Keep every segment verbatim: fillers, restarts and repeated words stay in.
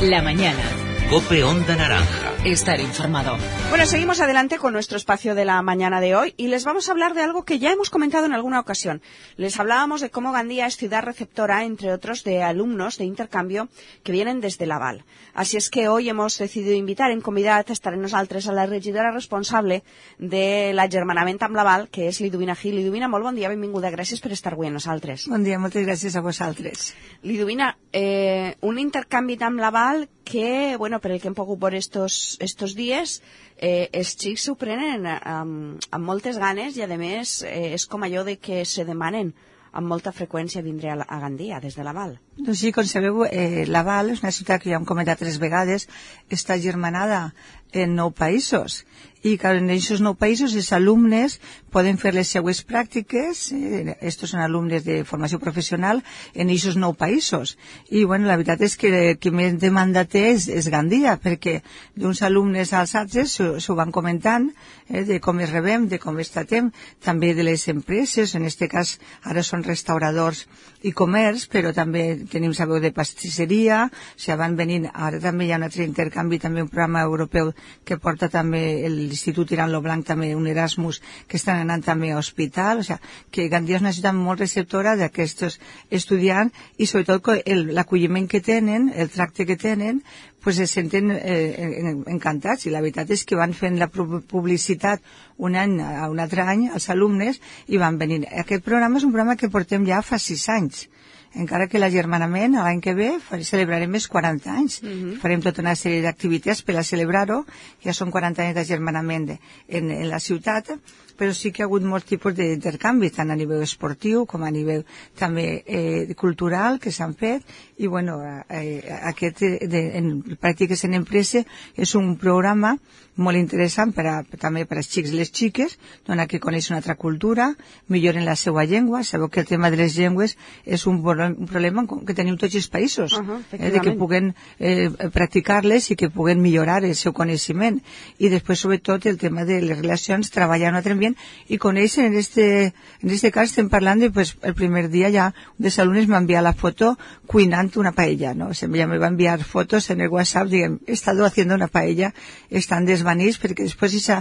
La mañana. COPE Onda Naranja. Estar informado. Bueno, seguimos adelante con nuestro espacio de la mañana de hoy y les vamos a hablar de algo que ya hemos comentado en alguna ocasión. Les hablábamos de cómo Gandía es ciudad receptora, entre otros, de alumnos de intercanvio que vienen desde Laval. Así es que hoy hemos decidido invitar en convidat a estar en nosaltres a la regidora responsable de l'agermanament amb Laval, que és Liduvina Gil. Liduvina, molt bon dia, benvinguda. Gràcies per estar avui amb nosaltres. Bon dia, moltes gràcies a vosaltres. Liduvina, eh, un intercanvi amb Laval que, bueno, per el que hem pogut veure estos, estos dies, eh, els xics s'ho prenen amb, amb moltes ganes i, a més, eh, és com allò de que se demanen amb molta freqüència vindre a, a Gandia, des de Laval. Doncs sí, com sabeu, eh, Laval és una ciutat que ja hem comentat tres vegades, està germanada en nou països. I clar, en aquests nou països els alumnes poden fer les seues pràctiques, eh, estos són alumnes de formació professional, en aquests nou països. I bueno, la veritat és que el que més demanda té és, és Gandia, perquè d'uns alumnes als altres s'ho van comentant, eh, de com es rebem, de com es tratem, també de les empreses, en aquest cas ara són restauradors i comerç, però també tenim, sabeu, de pastisseria, o sigui, van venint, ara també hi ha un altre intercanvi, també un programa europeu que porta també l'Institut Iran Lo Blanc, també un Erasmus, que estan anant també a hospital, o sigui, que Gandia és una ciutat molt receptora d'aquests estudiants i sobretot l'acolliment que tenen, el tracte que tenen, pues se senten eh, encantats, i la veritat és que van fent la publicitat un any a un altre any als alumnes i van venint. Aquest programa és un programa que portem ja fa sis anys, encara que l'agermanament l'any que ve celebrarem els quaranta anys. Uh-huh. Farem tota una sèrie d'activitats per a celebrar-ho, ja són quaranta anys d'agermanament en, en la ciutat, però sí que ha hagut molts tipus d'intercanvi, tant a nivell esportiu com a nivell també eh, cultural que s'han fet, i bueno, eh, aquest de, en pràctiques en empresa és un programa molt interessant per a, també per als xics i les xiques, donar que coneixen una altra cultura, milloren la seva llengua. Sabeu que el tema de les llengües és un, un problema que tenim tots els països, uh-huh, eh, de que puguen eh, practicar-les i que puguen millorar el seu coneixement. I després, sobretot, el tema de les relacions, treballar en un altre ambient i conèixer. En este, en este cas estem parlant de, pues, el primer dia ja un dels alumnes m'ha enviat la foto cuinant una paella, ¿no? O sea, ya me va a enviar fotos en el WhatsApp, diguem, he estado haciendo una paella, estan desvanits, perquè després aquesta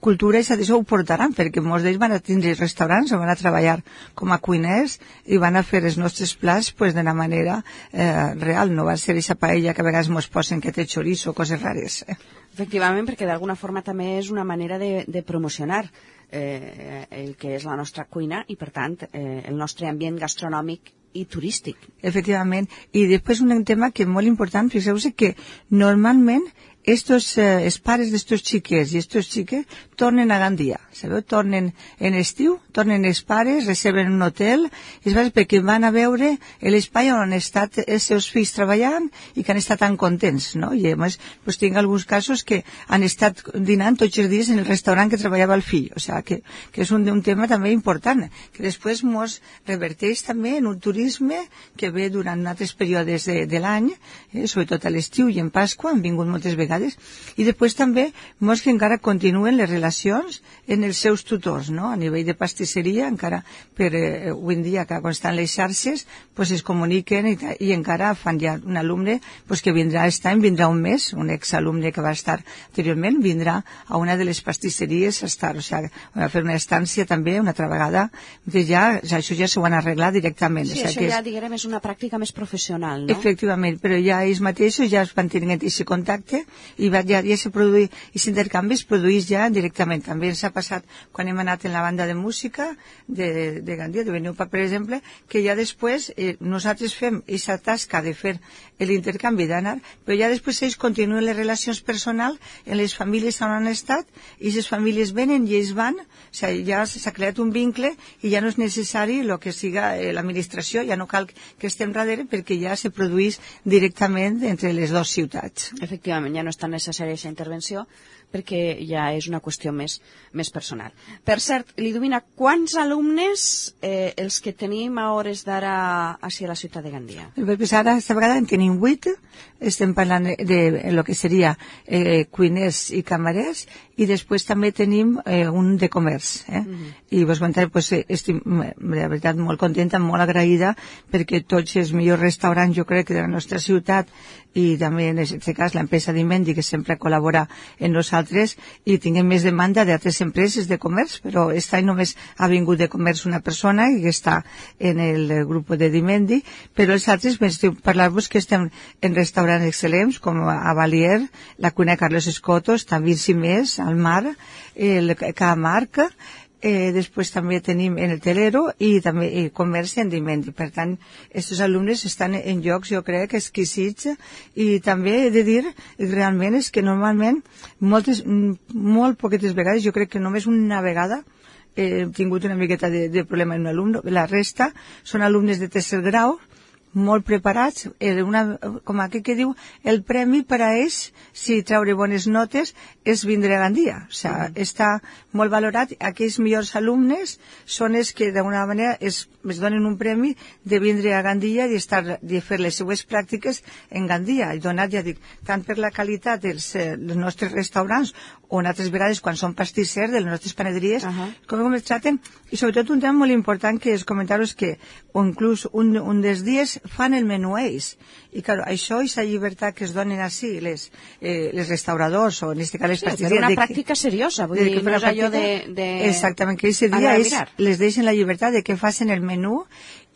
cultura i això ho portaran, perquè molts d'ells van a tindre restaurants o van a treballar com a cuiners i van a fer els nostres plats pues, d'una manera eh, real, no va ser aquesta paella que a vegades mos posen que té chorizo o coses rares. Efectivament, perquè d'alguna forma també és una manera de, de promocionar eh, el que és la nostra cuina i, per tant, eh, el nostre ambient gastronòmic i turístic. Efectivament. I després un tema que és molt important, fixeu-vos que normalment estos, eh, els pares d'estos xiquets i estos xiques tornen a Gandia, sabeu? Tornen en estiu, tornen els pares, reserven un hotel, i es va perquè van a veure l'espai on han estat els seus fills treballant i que han estat tan contents, no? I a més, pues, tinc alguns casos que han estat dinant tots els dies en el restaurant que treballava el fill, o sigui, que, que és un, un tema també important, que després mos reverteix també en un turisme que ve durant altres períodes de, de l'any, eh, sobretot a l'estiu i en Pasqua, han vingut moltes vegades. I després també molts que encara continuen les relacions en els seus tutors, no? A nivell de pastisseria, encara per eh, avui en dia, que quan estan les xarxes, pues es comuniquen i, i encara fan ja un alumne pues, que vindrà aquest any, vindrà un mes, un exalumne que va estar anteriorment, vindrà a una de les pastisseries a estar, o sigui, a fer una estància també una altra vegada, que ja, ja això ja s'ho van arreglar directament. Sí, o sigui, això que ja, és... diguem, és una pràctica més professional, no? Efectivament, però ja ells mateixos ja es van tenint aquest contacte i va, ja, ja se produï, i l'intercanvi es produeix ja directament. També ens ha passat quan hem anat en la banda de música de, de Gandia, de Beneupa, per exemple, que ja després eh, nosaltres fem aquesta tasca de fer l'intercanvi d'anar, però ja després ells continuen les relacions personals en les famílies on han estat, i les famílies venen i ells van, o sigui, ja s'ha creat un vincle i ja no és necessari el que siga eh, l'administració, ja no cal que estem darrere perquè ja se produeix directament entre les dues ciutats. Efectivament, ja no tan necessària aquesta intervenció, perquè ja és una qüestió més, més personal. Per cert, Liduvina, quants alumnes eh, els que tenim a hores d'ara a la ciutat de Gandia? Pues ara, esta vegada en tenim vuit, estem parlant de, de lo que seria eh, cuiners i camarers, i després també tenim eh, un de comerç. Eh? Mm-hmm. I vos comentaré, pues, estic, de veritat, molt contenta, molt agraïda, perquè tots els millors restaurants, jo crec, de la nostra ciutat, i també en aquest cas l'empresa Dimendi, que sempre col·labora amb nosaltres, i tinguem més demanda d'altres empreses de comerç, però aquest any només ha vingut de comerç una persona que està en el grup de Dimendi, però els altres, m'estic parlar-vos que estem en restaurants excel·lents, com a Valier, la cuina Carlos Escotos, també Simés, al Mar, el Camarca, Eh, després també tenim en el Telero i també eh, comerç en Dimendi. Per tant, aquests alumnes estan en llocs, jo crec, exquisits, i també he de dir, realment, és que normalment, moltes, molt poquetes vegades, jo crec que només una vegada, he tingut una miqueta de, de problema en un alumne, la resta són alumnes de tercer grau, molt preparats, eh, una, com aquí que diu, el premi per a ells, si treure bones notes, és vindre a Gandia. O sigui, mm. està molt valorat. Aquells millors alumnes són els que, d'alguna manera, es, es donen un premi de vindre a Gandia i estar, de fer les seues pràctiques en Gandia. I donat, ja dic, tant per la qualitat dels, eh, dels nostres restaurants, o en altres vegades quan són pastissers de les nostres panaderies, uh -huh. com, com els traten, i sobretot un tema molt important que és comentar-vos que, o inclús un, un dels dies, fan el menú ells. I, clar, això i la llibertat que es donen així les, eh, les restauradors, o en aquest cas les sí, pastisseries... però una de pràctica que, seriosa, vull de dir, no és allò de, de... Exactament, que aquest dia és, les deixen la llibertat de que facin el menú.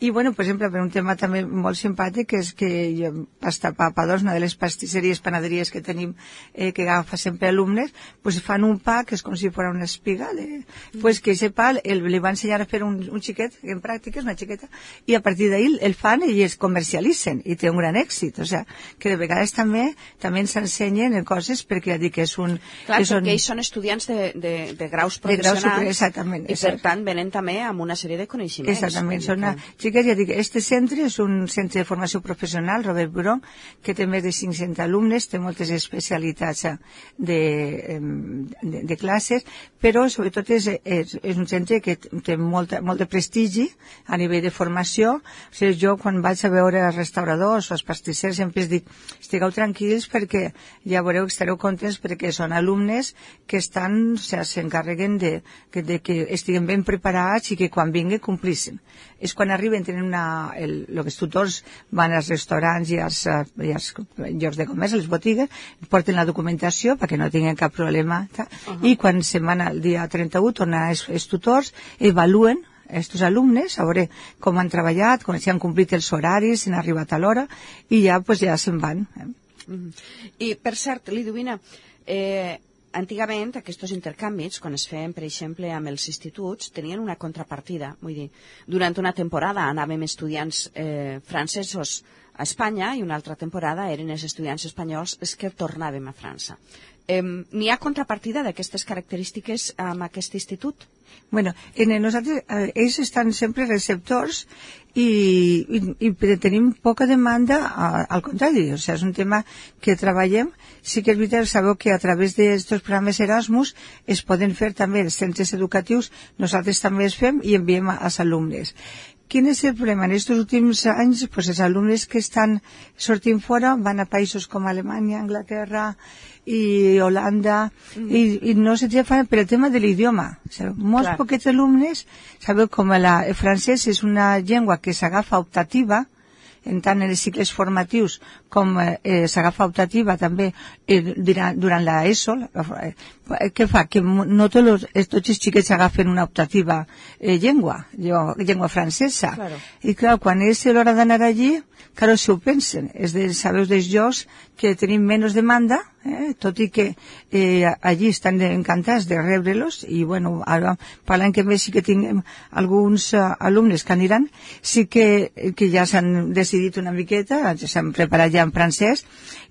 I, bueno, per exemple, per un tema també molt simpàtic, és que jo, Pasta Papadors, una de les pastisseries, panaderies que tenim, eh, que agafa sempre alumnes, pues fan un pa que és com si fos una espiga, de, mm. pues que ese pa el, li va ensenyar a fer un, un xiquet, en pràctiques, una xiqueta, i a partir d'ahir el fan i es comercialitzen, i té un gran èxit. O sigui, que de vegades també també ens ensenyen coses, perquè ja dic que és un... Clar, són, perquè ells són estudiants de, de, de graus professionals, de graus super, exactament, i per tant venen també amb una sèrie de coneixements. Exactament, són una... Que ja dic, este centre és un centre de formació professional, Robert Buron, que té més de cinc-cents alumnes, té moltes especialitats de, de, de classes, però sobretot és, és, és un centre que té molt, molt de prestigi a nivell de formació. O sigui, jo quan vaig a veure els restauradors o els pastissers sempre dic, estigueu tranquils perquè ja veureu que estareu contents perquè són alumnes que estan, o sigui, s'encarreguen de, de, de que estiguen ben preparats i que quan vinguen complissin. És quan arriben, tenen una, el, el que els tutors van als restaurants i als, i als llocs de comerç, a les botigues, porten la documentació perquè no tinguin cap problema. Uh -huh. I quan se'n van el dia trenta-u, tornen els, els tutors, evaluen aquests alumnes, a veure com han treballat, com si han complit els horaris, si han arribat a l'hora, i ja, pues, ja se'n van. Eh? Uh -huh. I, per cert, Liduvina, eh, antigament aquests intercanvis, quan es feien, per exemple, amb els instituts, tenien una contrapartida. Vull dir, durant una temporada anàvem estudiants eh, francesos a Espanya i una altra temporada eren els estudiants espanyols els que tornàvem a França. Eh, N'hi ha contrapartida d'aquestes característiques amb aquest institut? Bueno, en nosaltres, eh, ells estan sempre receptors i, i, i tenim poca demanda, a, al contrari, o sigui, és un tema que treballem. Sí que és veritat, sabeu que a través d'aquests programes Erasmus es poden fer també els centres educatius, nosaltres també es fem i enviem als alumnes. Quin és el problema? En aquests últims anys, pues, els alumnes que estan sortint fora van a països com Alemanya, Anglaterra i Holanda, mm. i, i no se fan per el tema de l'idioma. O sigui, molts Clar. poquets alumnes, sabeu, com la, el francès és una llengua que s'agafa optativa, en tant en els cicles formatius com eh, s'agafa optativa també eh, durant, durant la ESO. Eh, què fa? Que no tots, los, tots els xiquets agafen una optativa eh, llengua, llengua francesa. Claro. I clar, quan és l'hora d'anar allí, claro, si ho pensen, és de, sabeu, dels llocs que tenim menys demanda, eh, tot i que eh, allí estan encantats de rebre-los, i bueno, ara parlant que més sí que tinguem alguns uh, alumnes que aniran, sí que, que ja s'han decidit una miqueta, s'han preparat ja en francès,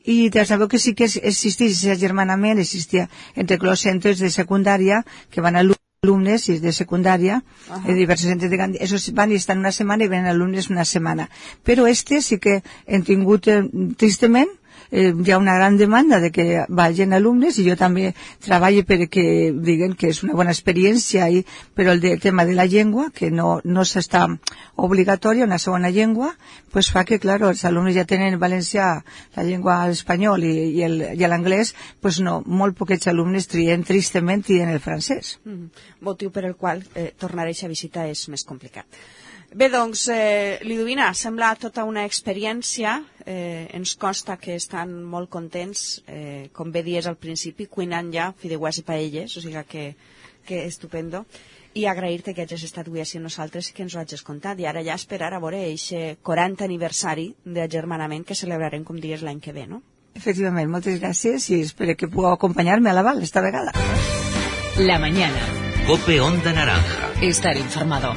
i ja sabeu que sí que existeix aquest agermanament, existia entre els centres de secundària que van a alumnes de secundària, uh -huh. de diversos centres de Gandia, esos van i estan una setmana i venen alumnes una setmana. Però este sí que hem tingut, eh, tristament, eh, hi ha una gran demanda de que vagin alumnes, i jo també treballo perquè diguen que és una bona experiència, i, però el de, tema de la llengua, que no, no s'està obligatòria una segona llengua, pues fa que, claro, els alumnes ja tenen en valencià la llengua espanyol i, i el, i l'anglès, pues no, molt poquets alumnes trien, tristament, trien el francès. Mm -hmm. Motiu per el qual eh, tornar a aquesta visita és més complicat. Bé, doncs, eh, Liduvina, sembla tota una experiència, eh, ens consta que estan molt contents, eh, com bé dies al principi, cuinant ja fideuàs i paelles, o sigui que, que estupendo, i agrair-te que hagis estat avui així amb nosaltres i que ens ho hagis contat, i ara ja esperar a veure aquest quaranta aniversari d'agermanament que celebrarem, com dies, l'any que ve, no? Efectivament, moltes gràcies i espero que pugueu acompanyar-me a la Val esta vegada. La mañana. Cope Onda Naranja. Estar informado.